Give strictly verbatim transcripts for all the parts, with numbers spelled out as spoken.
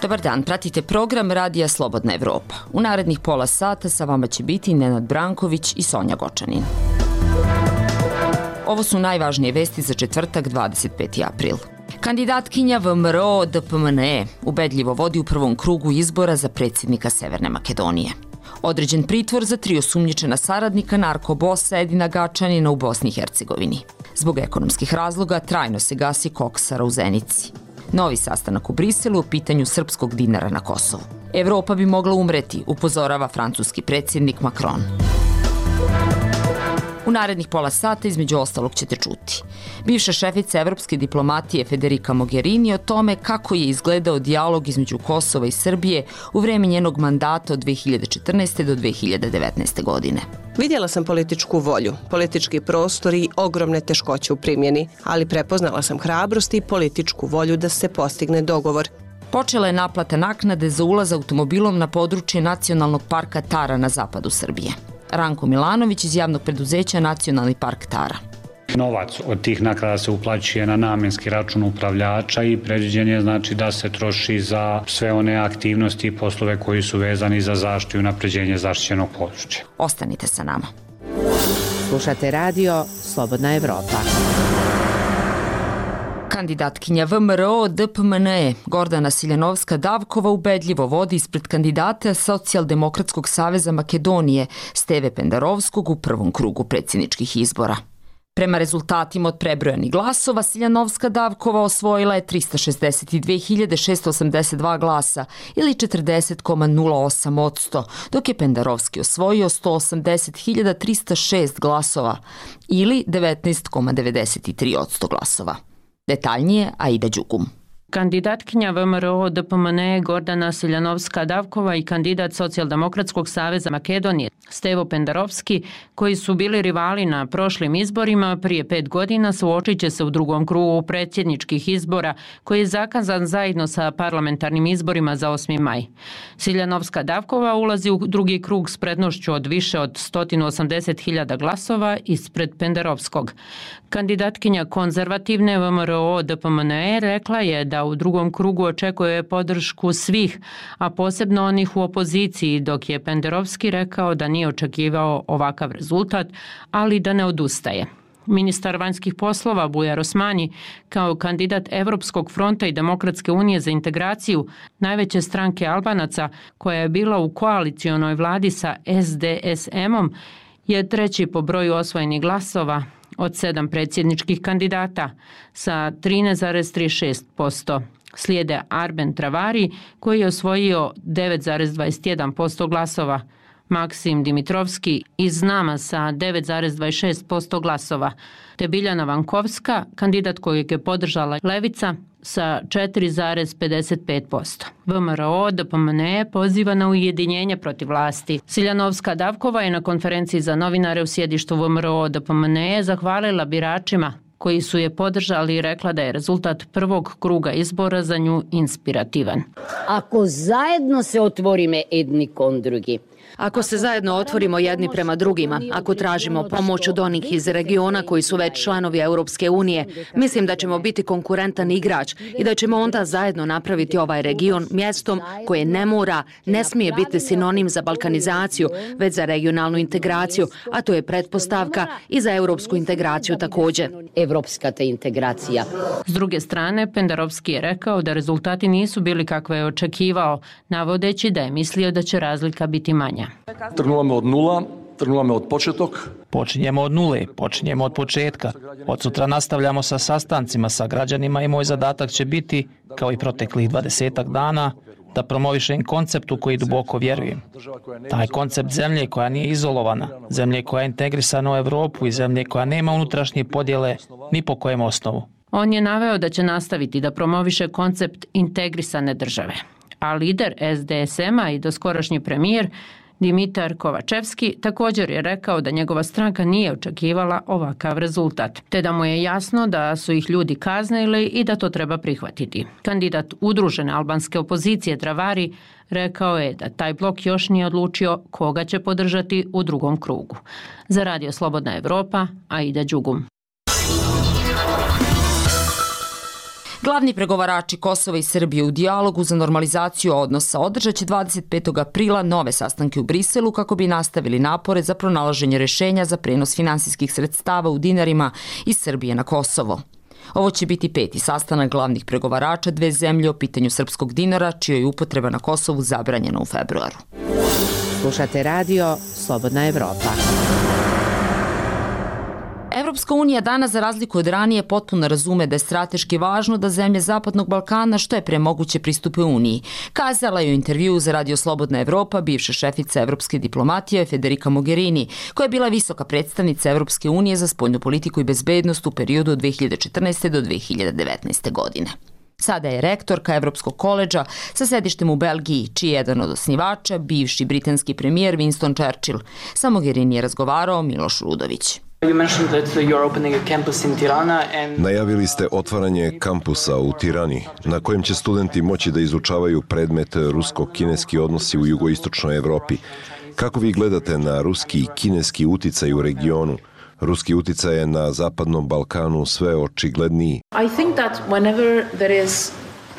Dobar dan, pratite program Radija Slobodna Evropa. U narednih pola sata sa vama će biti Nenad Branković i Sonja Gočanin. Ovo su najvažnije vesti za četvrtak, dvadeset peti april. Kandidatkinja V M R O D P M N E ubedljivo vodi u prvom krugu izbora za predsjednika Severne Makedonije. Određen pritvor za tri osumnjičena saradnika narkobosa Edina Gačanina u Bosni i Hercegovini. Zbog ekonomskih razloga trajno se gasi koksara u Zenici. Novi sastanak u Briselu o pitanju srpskog dinara na Kosovu. Evropa bi mogla umreti, upozorava francuski predsjednik Macron. U narednih pola sata između ostalog ćete čuti. Bivša šefica evropske diplomatije Federica Mogherini o tome kako je izgledao dijalog između Kosova i Srbije u vreme njenog mandata od dve hiljade četrnaeste. do dve hiljade devetnaeste. godine. Vidjela sam političku volju, politički prostor i ogromne teškoće u primjeni, ali prepoznala sam hrabrost i političku volju da se postigne dogovor. Počela je naplata naknade za ulaz automobilom na područje Nacionalnog parka Tara na zapadu Srbije. Ranko Milanović iz javnog preduzeća Nacionalni park Tara. Novac od tih naknada se uplaćuje na namjenski račun upravljača i predviđen je znači da se troši za sve one aktivnosti i poslove koji su vezani za zaštitu i unapređenje zaštićenog područja. Ostanite sa nama. Slušate radio Slobodna Evropa. Kandidatkinja V M R O D P M N E Gordana Siljanovska-Davkova ubedljivo vodi ispred kandidata Socijaldemokratskog saveza Makedonije Steve Pendarovskog u prvom krugu predsjedničkih izbora. Prema rezultatima od prebrojanih glasova, Siljanovska-Davkova osvojila je trista šezdeset dve hiljade šesto osamdeset dva glasa ili četrdeset zarez nula osam posto, dok je Pendarovski osvojio sto osamdeset hiljada trista šest glasova ili devetnaest zarez devedeset tri posto glasova. Detaljnije Aida Đugum. Kandidatkinja V M R O D P M N E Gordana Siljanovska-Davkova i kandidat Socijaldemokratskog saveza Makedonije Stevo Pendarovski, koji su bili rivali na prošlim izborima prije pet godina, suočit će se u drugom krugu predsjedničkih izbora koji je zakazan zajedno sa parlamentarnim izborima za osmi maj. Siljanovska-Davkova ulazi u drugi krug s prednošću od više od sto osamdeset hiljada glasova ispred Pendarovskog. Kandidatkinja konzervativne V M R O D P M N E rekla je da u drugom krugu očekuje podršku svih, a posebno onih u opoziciji, dok je Pendarovski rekao da nije očekivao ovakav rezultat, ali da ne odustaje. Ministar vanjskih poslova Bujar Osmani, kao kandidat Evropskog fronta i Demokratske unije za integraciju, najveće stranke Albanaca, koja je bila u koalicionoj vladi sa S D S M-om, je treći po broju osvojenih glasova od sedam predsjedničkih kandidata sa trinaest zarez trideset šest posto. Slijede Arben Travari koji je osvojio devet zarez dvadeset jedan posto glasova, Maksim Dimitrovski iz Nama sa devet zarez dvadeset šest posto glasova, te Biljana Vankovska, kandidat kojeg je podržala Levica, sa četiri zarez pedeset pet posto. V M R O D P M N E poziva na ujedinjenje protiv vlasti. Siljanovska-Davkova je na konferenciji za novinare u sjedištu V M R O D P M N E zahvalila biračima koji su je podržali i rekla da je rezultat prvog kruga izbora za nju inspirativan. Ako zajedno se otvorime jedni kon drugi, Ako se zajedno otvorimo jedni prema drugima, ako tražimo pomoć od onih iz regiona koji su već članovi Europske unije, mislim da ćemo biti konkurentan igrač i da ćemo onda zajedno napraviti ovaj region mjestom koje ne mora, ne smije biti sinonim za balkanizaciju, već za regionalnu integraciju, a to je pretpostavka i za europsku integraciju također. Evropska te integracija. S druge strane, Pendarovski je rekao da rezultati nisu bili kakve je očekivao, navodeći da je mislio da će razlika biti manja. Trnulamo od nula, trnulamo od početok. Počinjemo od nule, počinjemo od početka. Od sutra nastavljamo sa sastancima sa građanima i moj zadatak će biti, kao i proteklih dvadesetak dana, da promovišem konceptu koji duboko vjerujem. Taj koncept zemlje koja nije izolovana, zemlje koja je integrisana u Evropu i zemlje koja nema unutrašnje podjele ni po kojem osnovu. On je naveo da će nastaviti da promoviše koncept integrisane države. A lider S D S M-a i doskorašnji premijer Dimitar Kovačevski također je rekao da njegova stranka nije očekivala ovakav rezultat, te da mu je jasno da su ih ljudi kaznili i da to treba prihvatiti. Kandidat udružene albanske opozicije Travari rekao je da taj blok još nije odlučio koga će podržati u drugom krugu. Za Radio Slobodna Evropa, Aida Đugum. Glavni pregovarači Kosova i Srbije u dijalogu za normalizaciju odnosa održat će dvadeset petog aprila nove sastanke u Briselu kako bi nastavili napore za pronalaženje rešenja za prenos finansijskih sredstava u dinarima iz Srbije na Kosovo. Ovo će biti peti sastanak glavnih pregovarača dve zemlje o pitanju srpskog dinara, čija je upotreba na Kosovu zabranjena u februaru. Slušate radio Slobodna Evropa. Evropska unija danas, za razliku od ranije, potpuno razume da je strateški važno da zemlje Zapadnog Balkana što je pre moguće pristupe Uniji. Kazala je u intervjuu za radio Slobodna Evropa bivša šefica evropske diplomatije Federica Mogherini, koja je bila visoka predstavnica Evropske unije za spoljnu politiku i bezbednost u periodu od dve hiljade četrnaeste do dve hiljade devetnaeste godine. Sada je rektorka Evropskog koledža sa sedištem u Belgiji, čiji je jedan od osnivača bivši britanski premijer Winston Churchill. Sa Mogherini je razgovarao Miloš Rudović. Najavili ste otvaranje kampusa u Tirani, na kojem će studenti moći da izučavaju predmet rusko-kineski odnosi u jugoistočnoj Evropi. Kako vi gledate na ruski i kineski uticaj u regionu? Ruski uticaj je na Zapadnom Balkanu sve očigledniji.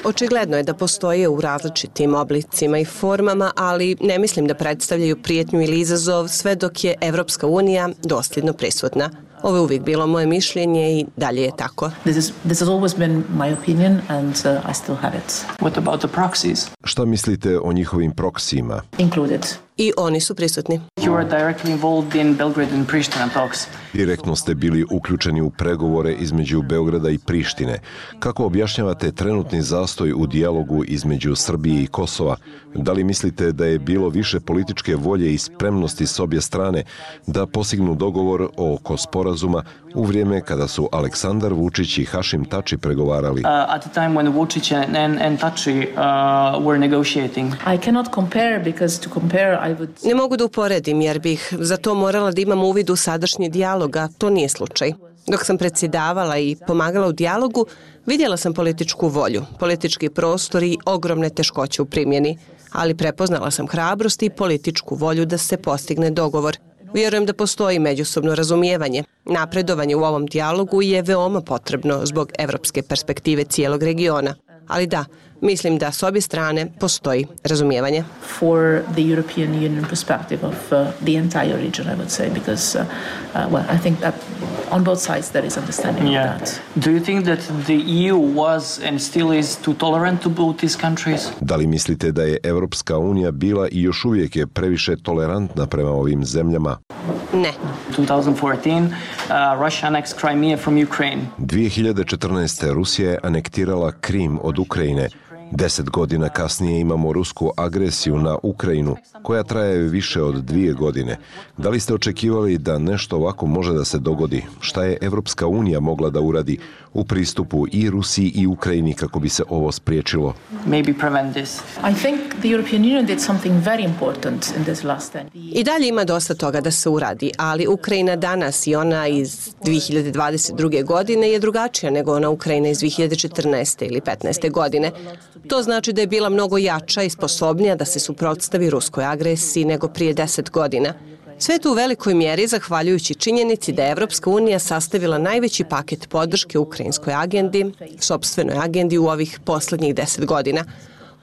Očigledno je da postoje u različitim oblicima i formama, ali ne mislim da predstavljaju prijetnju ili izazov sve dok je Evropska unija dosljedno prisutna. Ovo je uvijek bilo moje mišljenje i dalje je tako. This is, this has always been my opinion and uh, I still have it. What about the proxies? Šta mislite o njihovim proksijima? Included. I oni su prisutni. You are directly involved in Belgrade and Pristina talks. Direktno ste bili uključeni u pregovore između Beograda i Prištine. Kako objašnjavate trenutni zastoj u dijalogu između Srbije i Kosova? Da li mislite da je bilo više političke volje i spremnosti s obje strane da postignu dogovor oko sporazuma u vrijeme kada su Aleksandar Vučić i Hašim Tači pregovarali? Uh, at the time when Vučić and, and Tači uh, were negotiating. I cannot compare because to compare I would... Ne mogu da uporedim jer bih za to morala da imam uvid u sadašnji dijalog, a to nije slučaj. Dok sam predsjedavala i pomagala u dijalogu, vidjela sam političku volju, politički prostor i ogromne teškoće u primjeni, ali prepoznala sam hrabrost i političku volju da se postigne dogovor. Vjerujem da postoji međusobno razumijevanje. Napredovanje u ovom dijalogu je veoma potrebno zbog evropske perspektive cijelog regiona. Ali da, mislim da s obje strane postoji razumijevanje. For the European Union perspective of uh, the entire region, I would say, because uh, uh, well, I think that on both sides there is understanding yeah. of that. Do you think that the E U was and still is too tolerant to both these countries? Da li mislite da je Evropska unija bila i još uvijek je previše tolerantna prema ovim zemljama? Ne. twenty fourteen, uh, Russia annexed Crimea from Ukraine. dvije hiljade četrnaeste. Rusija je anektirala Krim od Ukrajine. Deset godina kasnije imamo rusku agresiju na Ukrajinu, koja traje više od dvije godine. Da li ste očekivali da nešto ovako može da se dogodi? Šta je Evropska unija mogla da uradi u pristupu i Rusiji i Ukrajini kako bi se ovo spriječilo? Maybe prevent this. I think the European Union did something very important in this last ten. I dalje ima dosta toga da se uradi, ali Ukrajina danas i ona iz dvije hiljade dvadeset druge. godine je drugačija nego ona Ukrajina iz dvije hiljade četrnaeste. ili petnaeste. godine. To znači da je bila mnogo jača i sposobnija da se suprotstavi ruskoj agresiji nego prije deset godina. Sve to u velikoj mjeri zahvaljujući činjenici da je Evropska unija sastavila najveći paket podrške ukrajinskoj agendi, sopstvenoj agendi u ovih posljednjih deset godina.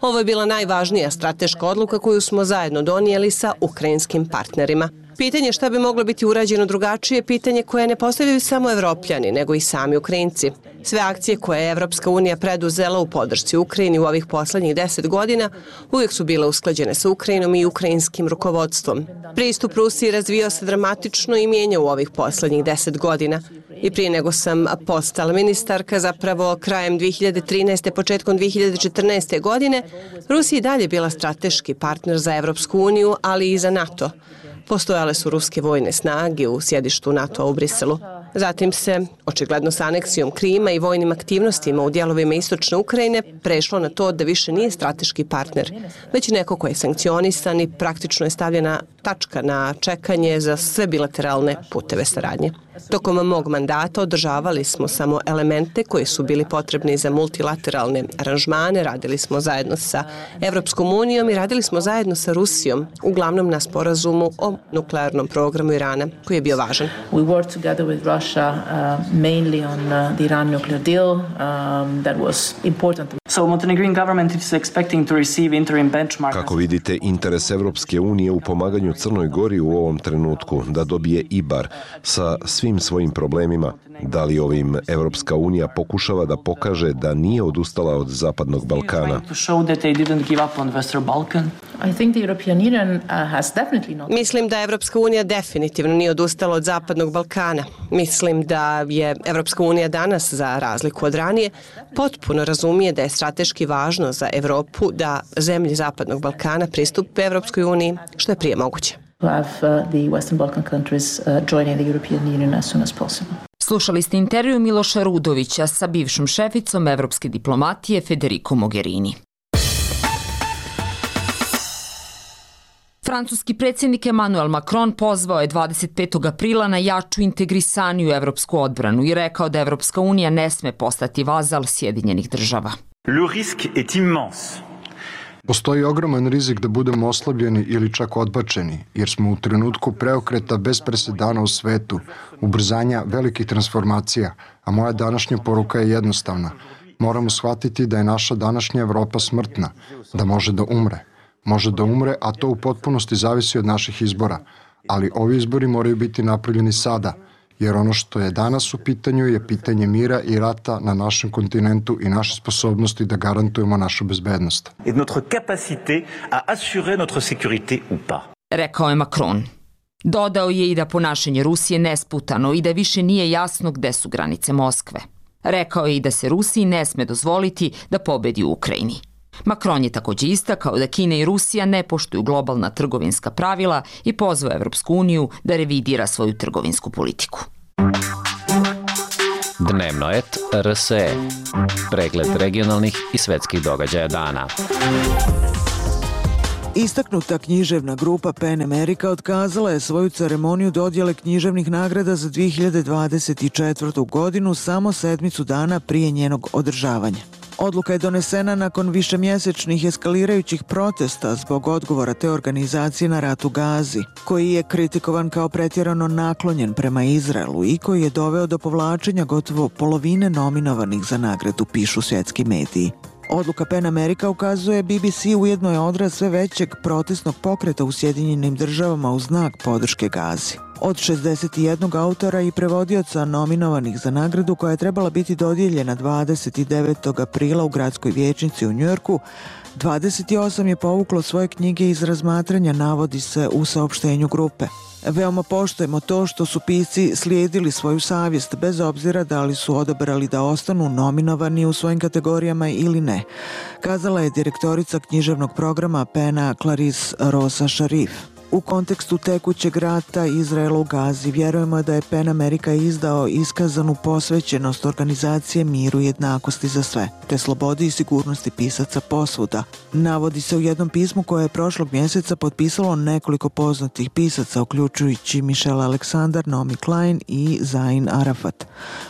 Ovo je bila najvažnija strateška odluka koju smo zajedno donijeli sa ukrajinskim partnerima. Pitanje šta bi moglo biti urađeno drugačije je pitanje koje ne postavljaju samo Evropljani, nego i sami Ukrajinci. Sve akcije koje je Evropska unija preduzela u podršci Ukrajini u ovih poslednjih deset godina uvijek su bile usklađene sa Ukrajinom i ukrajinskim rukovodstvom. Pristup Rusiji razvio se dramatično i mijenja u ovih poslednjih deset godina. I prije nego sam postala ministarka, zapravo krajem dvije hiljade trinaeste. početkom dvije hiljade četrnaeste. godine, Rusija i dalje bila strateški partner za Evropsku uniju, ali i za NATO. Postojale su ruske vojne snage u sjedištu NATO-a u Briselu. Zatim se, očigledno sa aneksijom Krima i vojnim aktivnostima u dijelovima istočne Ukrajine, prešlo na to da više nije strateški partner, već neko ko je sankcionisan i praktično je stavljena tačka na čekanje za sve bilateralne puteve saradnje. Tokom mog mandata održavali smo samo elemente koji su bili potrebni za multilateralne aranžmane, radili smo zajedno sa Evropskom unijom i radili smo zajedno sa Rusijom, uglavnom na sporazumu o nuklearnom programu Irana, koji je bio važan. We worked together with Russia uh, mainly on uh, the Iran nuclear deal um, that was important. So Montenegrin government is expecting to receive interim benchmark. Kako vidite interes Evropske unije u pomaganju Crnoj Gori u ovom trenutku da dobije I B A R sa svim svojim problemima? Da li ovim Evropska unija pokušava da pokaže da nije odustala od Zapadnog Balkana? Mislim da Evropska unija definitivno nije odustala od Zapadnog Balkana. Mislim da je Evropska unija danas, za razliku od ranije, potpuno razumije da je strateški važno za Evropu da zemlje Zapadnog Balkana pristupe Evropskoj uniji što je prije moguće. Slušali ste intervju Miloša Rudovića sa bivšom šeficom evropske diplomatije Federico Mogherini. Francuski predsjednik Emmanuel Macron pozvao je dvadeset petog aprila na jaču integrisaniju evropsku odbranu i rekao da Evropska unija ne sme postati vazal Sjedinjenih država. Le risque est immense. Postoji ogroman rizik da budemo oslabljeni ili čak odbačeni, jer smo u trenutku preokreta bez presedana u svetu, ubrzanja velikih transformacija, a moja današnja poruka je jednostavna. Moramo shvatiti da je naša današnja Evropa smrtna, da može da umre. Može da umre, a to u potpunosti zavisi od naših izbora. Ali ovi izbori moraju biti napravljeni sada, jer ono što je danas u pitanju je pitanje mira i rata na našem kontinentu i naše sposobnosti da garantujemo našu bezbednost. Et notre capacité à assurer notre sécurité ou pas. Rekao je Macron. Dodao je i da ponašanje Rusije nesputano i da više nije jasno gde su granice Moskve. Rekao je i da se Rusiji ne sme dozvoliti da pobedi u Ukrajini. Macron je također istakao da Kina i Rusija ne poštuju globalna trgovinska pravila i pozvao Evropsku uniju da revidira svoju trgovinsku politiku. Dnevno et R S E. Pregled regionalnih i svetskih događaja dana. Istaknuta književna grupa Pen America otkazala je svoju ceremoniju dodjele književnih nagrada za dvije hiljade dvadeset četvrtu. godinu samo sedmicu dana prije njenog održavanja. Odluka je donesena nakon višemjesečnih eskalirajućih protesta zbog odgovora te organizacije na rat u Gazi, koji je kritikovan kao pretjerano naklonjen prema Izraelu i koji je doveo do povlačenja gotovo polovine nominovanih za nagradu, pišu svjetski mediji. Odluka Pen America, ukazuje B B C, ujedno je odraz sve većeg protestnog pokreta u Sjedinjenim državama u znak podrške Gazi. Od šezdeset jednog autora i prevodioca nominovanih za nagradu, koja je trebala biti dodijeljena dvadeset devetog aprila u gradskoj vijećnici u Njujorku, dvadeset osam je povuklo svoje knjige iz razmatranja, navodi se u saopštenju grupe. Veoma poštujemo to što su pisci slijedili svoju savjest, bez obzira da li su odabrali da ostanu nominovani u svojim kategorijama ili ne, kazala je direktorica književnog programa Pena Clarice Rosa Sharif. U kontekstu tekućeg rata Izraela u Gazi vjerujemo da je Pen America izdao iskazanu posvećenost organizacije miru i jednakosti za sve, te slobodi i sigurnosti pisaca posvuda. Navodi se u jednom pismu koje je prošlog mjeseca potpisalo nekoliko poznatih pisaca, uključujući Michelle Alexander, Naomi Klein i Zain Arafat,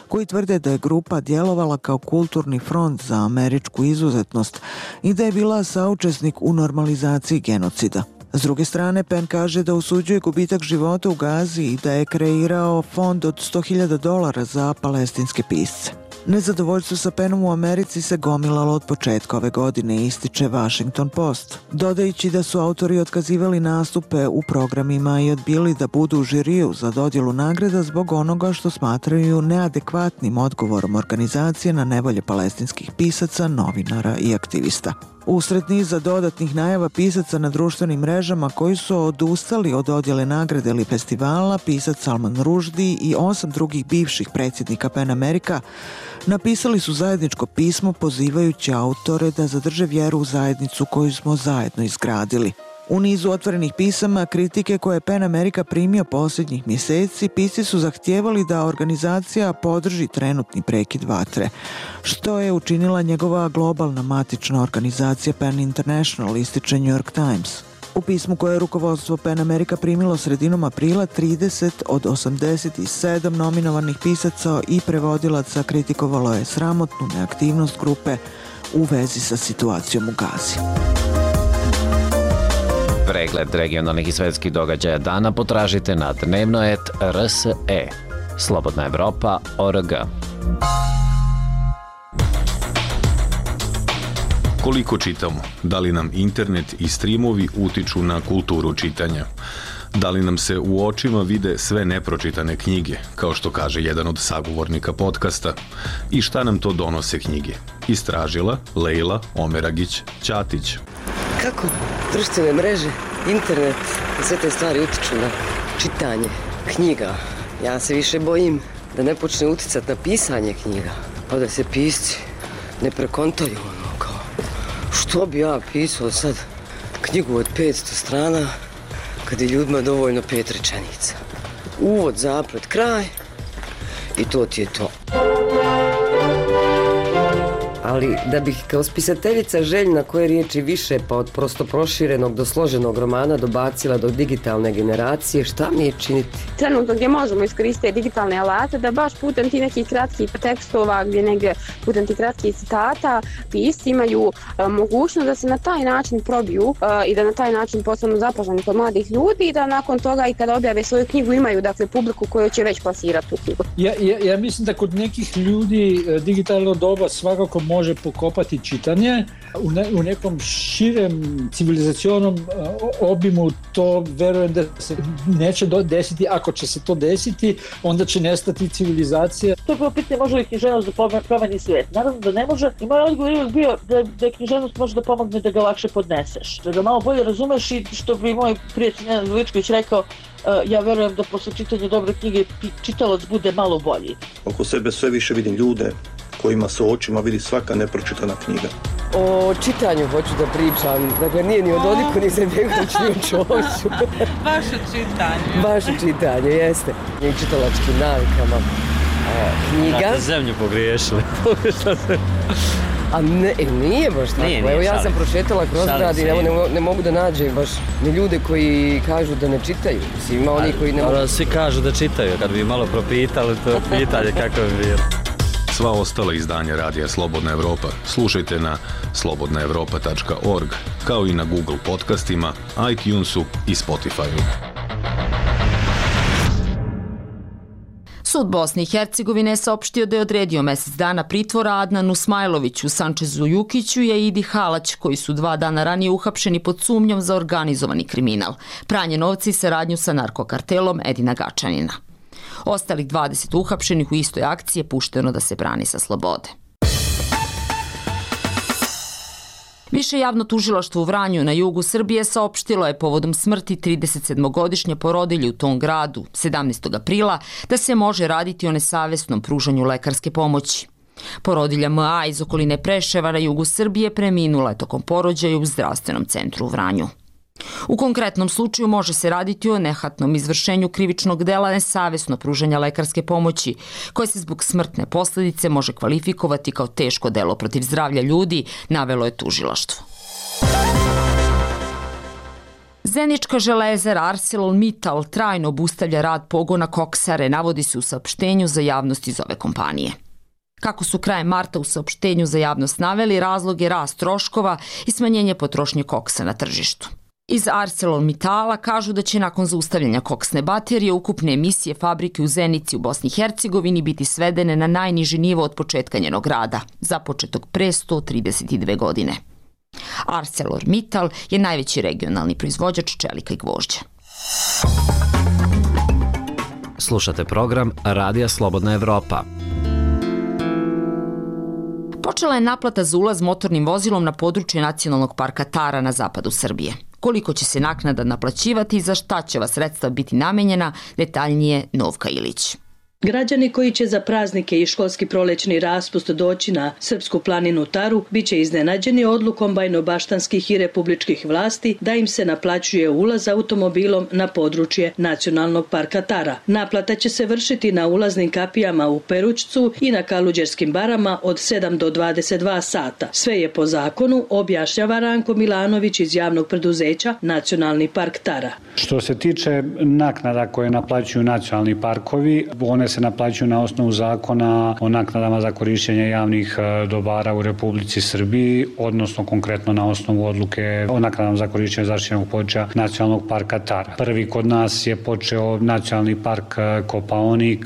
koji tvrde da je grupa djelovala kao kulturni front za američku izuzetnost i da je bila saučesnik u normalizaciji genocida. S druge strane, Pen kaže da osuđuje gubitak života u Gazi i da je kreirao fond od sto hiljada dolara za palestinske pisce. Nezadovoljstvo sa Penom u Americi se gomilalo od početka ove godine, ističe Washington Post, dodajući da su autori otkazivali nastupe u programima i odbili da budu u žiriju za dodjelu nagrada zbog onoga što smatraju neadekvatnim odgovorom organizacije na nevolje palestinskih pisaca, novinara i aktivista. Usred niza dodatnih najava pisaca na društvenim mrežama koji su odustali od dodjele nagrade ili festivala, pisac Salman Rushdie i osam drugih bivših predsjednika Pen America napisali su zajedničko pismo pozivajući autore da zadrže vjeru u zajednicu koju smo zajedno izgradili. U nizu otvorenih pisama kritike koje je Pen America primio posljednjih mjeseci, pisci su zahtijevali da organizacija podrži trenutni prekid vatre, što je učinila njegova globalna matična organizacija Pen International, ističe New York Times. U pismu koje je rukovodstvo Pen America primilo sredinom aprila, trideset od osamdeset sedam nominovanih pisaca i prevodilaca kritikovalo je sramotnu neaktivnost grupe u vezi sa situacijom u Gazi. Pregled regionalnih i svetskih događaja dana potražite na dnevno et R S E. slobodna evropa tačka org. Koliko čitamo? Da li nam internet i streamovi utiču na kulturu čitanja? Da li nam se u očima vide sve nepročitane knjige, kao što kaže jedan od sagovornika podcasta? I šta nam to donose knjige? Istražila Lejla Omeragić Ćatić. Kako društvene mreže, internet i sve te stvari utiču na čitanje knjiga? Ja se više bojim da ne počne uticati na pisanje knjiga, pa da se pisci ne prekontaju ono kao što bi ja pisao sad knjigu od petsto strana kad je ljudima dovoljno pet rečenica. Uvod, zaplet, kraj i to ti je to. Ali da bih kao spisateljica željna koje riječi više pa od prosto proširenog do složenog romana dobacila do digitalne generacije, šta mi je činiti? Trenutno gdje možemo iskoristiti digitalne alate da baš putem ti nekih kratkih tekstova, gdje negdje putem ti kratkih citata pisci imaju a, mogućnost da se na taj način probiju a, i da na taj način postanu zapaženi kod mladih ljudi i da nakon toga i kada objave svoju knjigu imaju dakle publiku koju će već plasirati tu knjigu. Ja, ja, ja mislim da kod nekih ljudi digitalno doba svakako može pokopati čitanje. U, ne, u nekom širem civilizacionom uh, obimu to verujem da se neće desiti. Ako će se to desiti, onda će nestati civilizacija. To je bilo pitanje može li književnost da promeni svijet. Naravno da ne može. I moj odgovor je bio da, da književnost može da pomogne da ga lakše podneseš. Da ga malo bolje razumeš i što bi moj prijatelj Nenad Veličković rekao, uh, ja verujem da posle čitanja dobre knjige čitalac bude malo bolji. Oko sebe sve više vidim ljude kojima se očima vidi svaka nepročitana knjiga. O čitanju hoću da pričam, dakle nije ni o Dodiku, ni Izetbegović, ni o Čoviću. Baš o čitanju. Baš o čitanju, jeste. I čitalačkim navikama. E, knjiga. Da, zemlju pogriješili. A ne, nije baš tako. Nije, nije, Evo ja šalim. sam prošetala kroz grad i ne, ne, ne mogu da nađem baš ni ljude koji kažu da ne čitaju. Mislim, ima oni koji ne mogu... Svi kažu da čitaju, kad bi malo propitali to pitanje kako bi bilo. Sva ostala izdanja Radija Slobodna Evropa slušajte na slobodna evropa tačka org, kao i na Google podcastima, iTunesu i Spotifyu. Sud Bosne i Hercegovine je saopštio da je odredio mesec dana pritvora Adnanu Smajloviću, Sančezu Jukiću i Idi Halać, koji su dva dana ranije uhapšeni pod sumnjom za organizovani kriminal, pranje novca i saradnju sa narkokartelom Edina Gačanina. Ostalih dvadeset uhapšenih u istoj akciji je pušteno da se brani sa slobode. Više javno tužilaštvo u Vranju na jugu Srbije saopštilo je povodom smrti tridesetsedmogodišnje porodilje u tom gradu sedamnaestog aprila da se može raditi o nesavesnom pružanju lekarske pomoći. Porodilja M A iz okoline Preševa na jugu Srbije preminula je tokom porođaja u zdravstvenom centru u Vranju. U konkretnom slučaju može se raditi o nehatnom izvršenju krivičnog dela nesavesno pružanja lekarske pomoći, koje se zbog smrtne posljedice može kvalifikovati kao teško delo protiv zdravlja ljudi, navelo je tužilaštvo. Zenička železara ArcelorMittal trajno obustavlja rad pogona koksare, navodi se u saopštenju za javnost iz ove kompanije. Kako su krajem marta u saopštenju za javnost naveli, razlog je rast troškova i smanjenje potrošnje koksa na tržištu. Iz ArcelorMittala kažu da će nakon zaustavljanja koksne baterije ukupne emisije fabrike u Zenici u Bosni i Hercegovini biti svedene na najniži nivo od početka njenog rada, započetog pre sto trideset dve godine. ArcelorMittal je najveći regionalni proizvođač čelika i gvožđa. Slušate program Radija Slobodna Evropa. Počela je naplata za ulaz motornim vozilom na područje Nacionalnog parka Tara na zapadu Srbije. Koliko će se naknada naplaćivati i za šta će ova sredstva biti namenjena, detaljnije Novka Ilić. Građani koji će za praznike i školski prolećni raspust doći na Srpsku planinu Taru biće iznenađeni odlukom bajnobaštanskih i republičkih vlasti da im se naplaćuje ulaz automobilom na područje Nacionalnog parka Tara. Naplata će se vršiti na ulaznim kapijama u Perućcu i na Kaluđerskim barama od sedam do dvadeset dva sata. Sve je po zakonu, objašnjava Ranko Milanović iz javnog preduzeća Nacionalni park Tara. Što se tiče naknada koje naplaćuju nacionalni parkovi, one one se naplaćuju na osnovu zakona o naknadama za korišćenje javnih dobara u Republici Srbiji, odnosno konkretno na osnovu odluke o naknadama za korišćenje zaštićenog područja Nacionalnog parka Tara. Prvi kod nas je počeo Nacionalni park Kopaonik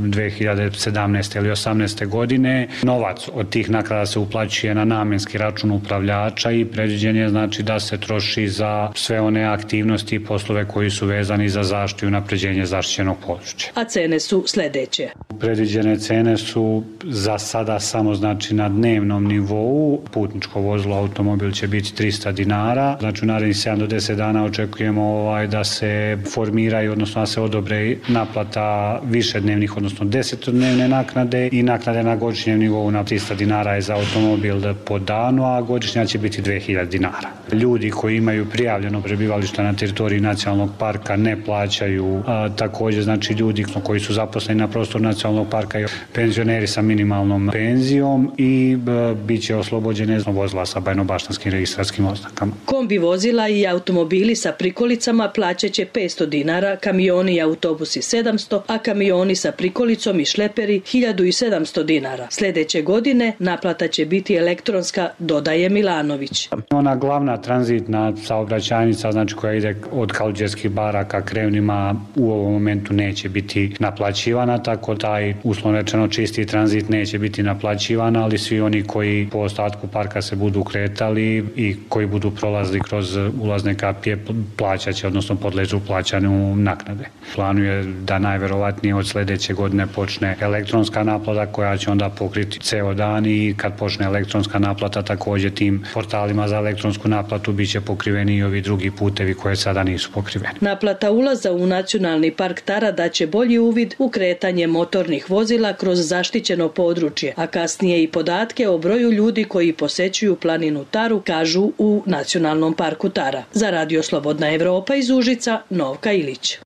dve hiljade sedamnaeste ili osamnaeste godine. Novac od tih naknada se uplaćuje na namenski račun upravljača i predviđen je znači da se troši za sve one aktivnosti i poslove koji su vezani za zaštitu i unapređenje zaštićenog područja. A cene su sledeće. Predviđene cene su za sada samo znači na dnevnom nivou. Putničko vozilo, automobil će biti trista dinara. Znači u narednih sedam do deset dana očekujemo ovaj, da se formiraju, odnosno da se odobre naplata višednevnih, odnosno desetodnevne naknade i naknade na godišnjem nivou na trista dinara je za automobil po danu, a godišnja će biti dve hiljade dinara. Ljudi koji imaju prijavljeno prebivalište na teritoriji nacionalnog parka ne plaćaju. A, također znači ljudi koji su zaposleni na prostoru nacionalnog parka i penzioneri sa minimalnom penzijom i b, bit će oslobođene vozila sa bajnobaštanskim registrarskim oznakama. Kombi vozila i automobili sa prikolicama plaćat će petsto dinara, kamioni i autobusi sedamsto, a kamioni sa prikolicom i šleperi hiljadu sedamsto dinara. Sljedeće godine naplata će biti elektronska, dodaje Milanović. Ona glavna tranzitna saobraćajnica, znači koja ide od Kaluđerskih bara ka Krevnima, u ovom momentu neće biti naplaćivana, tako taj uslovno rečeno čisti tranzit neće biti naplaćivana, ali svi oni koji po ostatku parka se budu kretali i koji budu prolazili kroz ulazne kapije plaćat će, odnosno podležu plaćanju naknade. Planuje da najverovatnije od sljedeće godine počne elektronska naplata koja će onda pokriti ceo dan i kad počne elektronska naplata također tim portalima za elektronsku naplatu bit će pokriveni i ovi drugi putevi koje sada nisu pokriveni. Naplata ulaza u Nacionalni park Tara daće bolji uvid u kretanje motornih vozila kroz zaštićeno područje, a kasnije i podatke o broju ljudi koji posećuju planinu Taru, kažu u Nacionalnom parku Tara. Za Radio Slobodna Evropa iz Užica, Novka Ilić.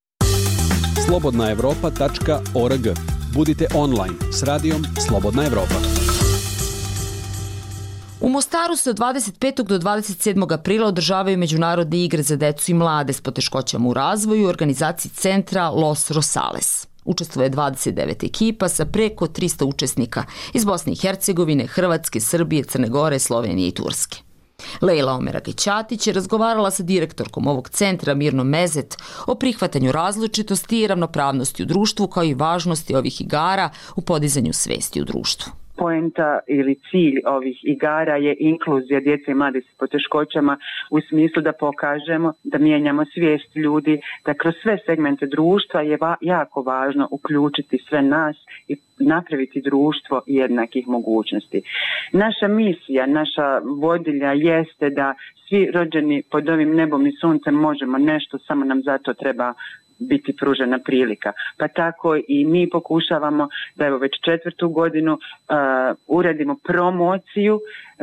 slobodna evropa tačka org. Budite online s radijom Slobodna Evropa. U Mostaru se od dvadeset petog do dvadeset sedmog aprila održavaju međunarodne igre za decu i mlade s poteškoćama u razvoju u organizaciji centra Los Rosales. Učestvuje dvadeset devet ekipa sa preko trista učesnika iz Bosne i Hercegovine, Hrvatske, Srbije, Crne Gore, Slovenije i Turske. Lejla Omeragićatić je razgovarala sa direktorkom ovog centra Mirnom Mezet o prihvatanju različitosti i ravnopravnosti u društvu kao i važnosti ovih igara u podizanju svesti u društvu. Poenta ili cilj ovih igara je inkluzija djece i mladih s poteškoćama u smislu da pokažemo, da mijenjamo svijest ljudi, da kroz sve segmente društva je va- jako važno uključiti sve nas i napraviti društvo jednakih mogućnosti. Naša misija, naša vodilja jeste da svi rođeni pod ovim nebom i suncem možemo nešto, samo nam zato treba biti pružena prilika. Pa tako i mi pokušavamo da evo već četvrtu godinu uh, uradimo promociju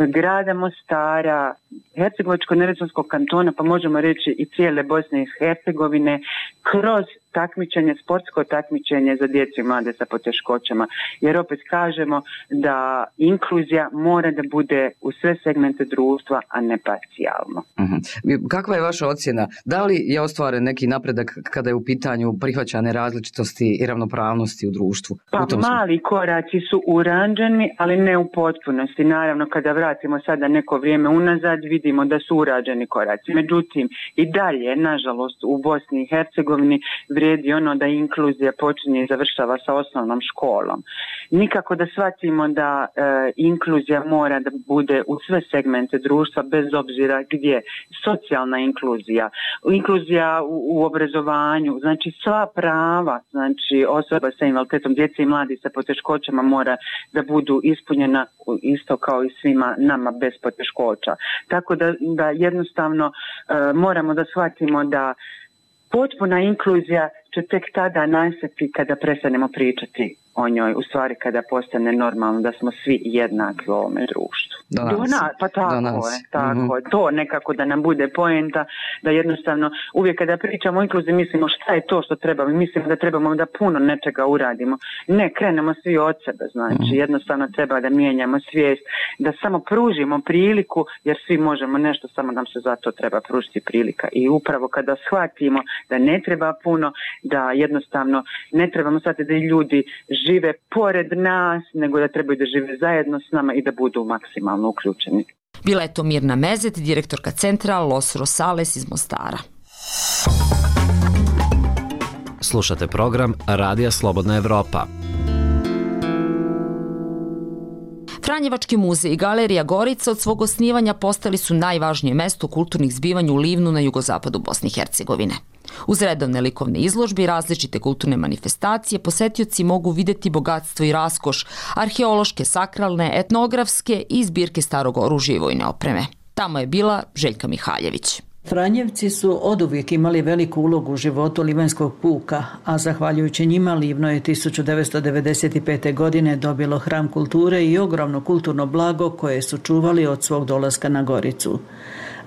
grada Mostara, Hercegovačko-neretvanskog kantona, pa možemo reći i cijele Bosne i Hercegovine, kroz takmičenje, sportsko takmičenje za djecu i mlade sa poteškoćama. Jer opet kažemo da inkluzija mora da bude u sve segmente društva, a ne parcijalno. Uh-huh. Kakva je vaša ocjena? Da li je ostvaren neki napredak kada je u pitanju prihvaćane različitosti i ravnopravnosti u društvu? Pa u mali koraci su urađeni, ali ne u potpunosti. Naravno, kada vratimo sada neko vrijeme unazad, vidimo da su urađeni koraci. Međutim, i dalje, nažalost, u Bosni i Hercegovini vrijedi ono da inkluzija počinje i završava sa osnovnom školom. Nikako da shvatimo da e, inkluzija mora da bude u sve segmente društva, bez obzira gdje. Socijalna inkluzija, inkluzija u, u obrazovanju, znači sva prava, znači osoba sa invaliditetom, djece i mladi sa poteškoćama mora da budu ispunjena isto kao i svima nama bez poteškoća. Tako da, da jednostavno e, moramo da shvatimo da potpuna inkluzija će tek tada nastati kada prestanemo pričati o njoj, u stvari kada postane normalno da smo svi jednaki u ovome društvu. Do nas. Do nas, pa tako Do nas. je, tako mm-hmm. je. To nekako da nam bude poenta, da jednostavno uvijek kada pričamo o inkluziji mislimo šta je to što trebamo, mislimo da trebamo da puno nečega uradimo. Ne, krenemo svi od sebe, znači mm-hmm. jednostavno treba da mijenjamo svijest, da samo pružimo priliku, jer svi možemo nešto, samo nam se zato treba pružiti prilika. I upravo kada shvatimo da ne treba puno, da jednostavno ne trebamo shvatiti da i ljudi žive pored nas, nego da trebaju da žive zajedno s nama i da budu maksimalno uključeni. Bila je to Mirna Mezet, direktorka centra Los Rosales iz Mostara. Slušate program Radija Slobodna Evropa. Franjevački muzej i galerija Gorica od svog osnivanja postali su najvažnije mesto kulturnih zbivanja u Livnu na jugozapadu Bosne i Hercegovine. Uz redovne likovne izložbe i različite kulturne manifestacije, posetioci mogu videti bogatstvo i raskoš, arheološke, sakralne, etnografske i zbirke starog oružja i vojne opreme. Tamo je bila Željka Mihaljević. Franjevci su oduvijek imali veliku ulogu u životu Livanjskog puka, a zahvaljujući njima Livno je tisuću devetsto devedeset pete. godine dobilo hram kulture i ogromno kulturno blago koje su čuvali od svog dolaska na Goricu.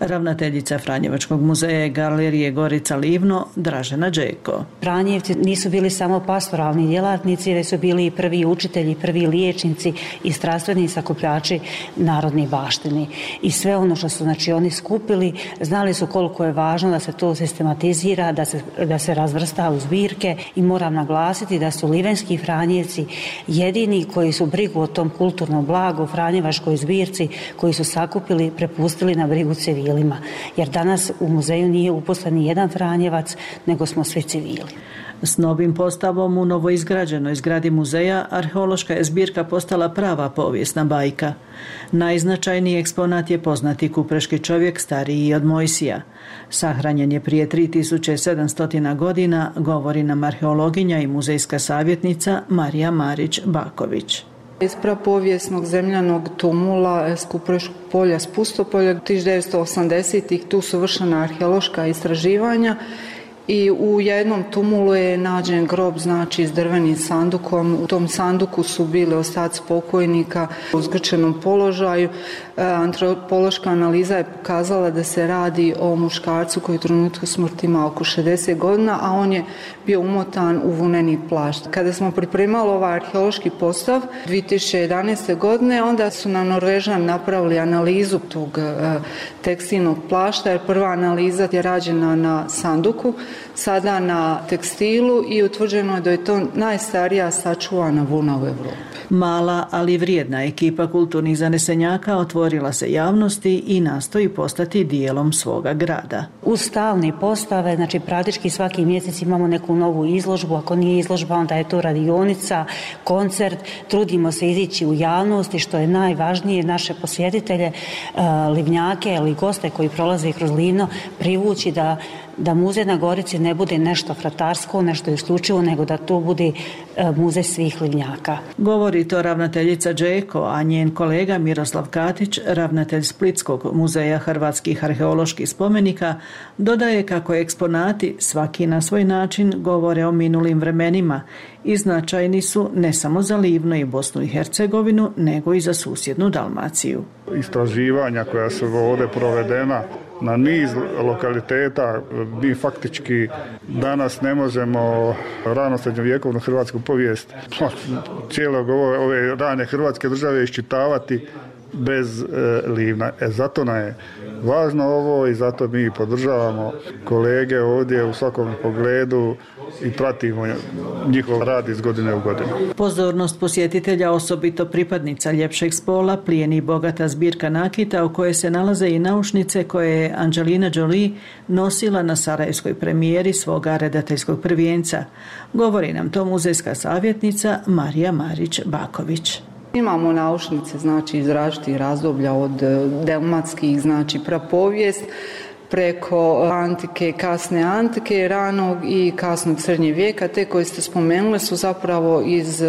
Ravnateljica Franjevačkog muzeja i galerije Gorica Livno, Dražena Đeko. Franjevci nisu bili samo pastoralni djelatnici, već su bili i prvi učitelji, prvi liječnici i strastveni sakupljači narodnih baštini. I sve ono što su znači, oni skupili, znali su koliko je važno da se to sistematizira, da se, da se razvrsta u zbirke i moram naglasiti da su livenski Franjevci jedini koji su brigu o tom kulturnom blagu, Franjevačkoj zbirci, koji su sakupili, prepustili na brigu civila. Jer danas u muzeju nije uposlen ni jedan Franjevac, nego smo svi civili. S novim postavom u novoizgrađenoj zgradi muzeja arheološka je zbirka postala prava povijesna bajka. Najznačajniji eksponat je poznati kupreški čovjek stariji od Mojsija. Sahranjen je prije tri tisuće sedamsto godina, govori nam arheologinja i muzejska savjetnica Marija Marić-Baković. Iz prapovijesnog zemljanog tumula s Kupreškog polja, s Pustopolja, tisuću devetsto osamdesetih tu su vršena arheološka istraživanja i u jednom tumulu je nađen grob, znači s drvenim sandukom. U tom sanduku su bili ostaci pokojnika u zgrčenom položaju. Antropološka analiza je pokazala da se radi o muškarcu koji u trenutku smrti ima oko šezdeset godina, a on je bio umotan u vuneni plašt. Kada smo pripremali ovaj arheološki postav dvije tisuće jedanaeste. godine, onda su nam Norvežani napravili analizu tog tekstilnog plašta, jer prva analiza je rađena na sanduku, sada na tekstilu i utvrđeno je da je to najstarija sačuvana vuna u Evropi. Mala, ali vrijedna ekipa kulturnih zanesenjaka otvorila se javnosti i nastoji postati dijelom svoga grada. Uz stalne postave, znači praktički svaki mjesec imamo neku novu izložbu, ako nije izložba onda je to radionica, koncert, trudimo se izići u javnosti što je najvažnije naše posjetitelje, livnjake ili goste koji prolaze kroz Livno privući da da muzej na Gorici ne bude nešto fratarsko, nešto isključivo, nego da to bude muzej svih Livnjaka. Govori to ravnateljica Đeko, a njen kolega Miroslav Katić, ravnatelj Splitskog muzeja hrvatskih arheoloških spomenika, dodaje kako eksponati svaki na svoj način govore o minulim vremenima i značajni su ne samo za Livno i Bosnu i Hercegovinu, nego i za susjednu Dalmaciju. Istraživanja koja su ovdje provedena na niz lokaliteta, mi faktički danas ne možemo rano srednjovjekovnu hrvatsku povijest cijelog ove, ove rane hrvatske države iščitavati bez e, Livna. E, zato nam je važno ovo i zato mi podržavamo kolege ovdje u svakom pogledu i pratimo njihov rad iz godine u godinu. Pozornost posjetitelja, osobito pripadnica ljepšeg spola, plijeni bogata zbirka nakita u kojoj se nalaze i naušnice koje je Angelina Jolie nosila na sarajevskoj premijeri svoga redateljskog prvijenca. Govori nam to muzejska savjetnica Marija Marić-Baković. Imamo naušnice, znači iz različitih razdoblja od delmatskih, znači prapovijest, preko antike, kasne antike, ranog i kasnog srednjeg vijeka. Te koje ste spomenuli su zapravo iz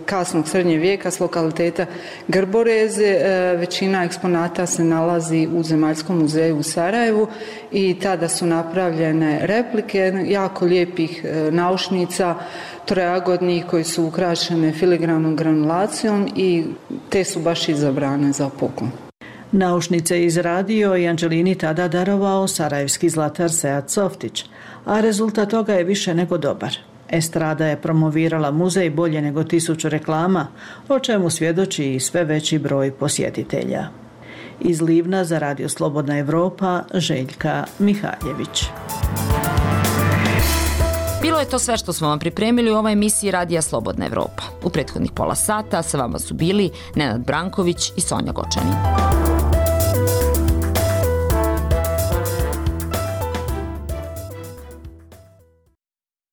kasnog srednjeg vijeka s lokaliteta Grboreze. Većina eksponata se nalazi u Zemaljskom muzeju u Sarajevu i tada su napravljene replike jako lijepih naušnica trojagodnih koji su ukrašene filigrannom granulacijom i te su baš izabrane za poklon. Naušnice je izradio i Anđelini tada darovao sarajevski zlatar Sead Softić, a rezultat toga je više nego dobar. Estrada je promovirala muzej bolje nego tisuću reklama, o čemu svjedoči i sve veći broj posjetitelja. Iz Livna za Radio Slobodna Evropa, Željka Mihaljević. Bilo je to sve što smo vam pripremili u ovoj emisiji Radija Slobodna Evropa. U prethodnih pola sata sa vama su bili Nenad Branković i Sonja Gočanin.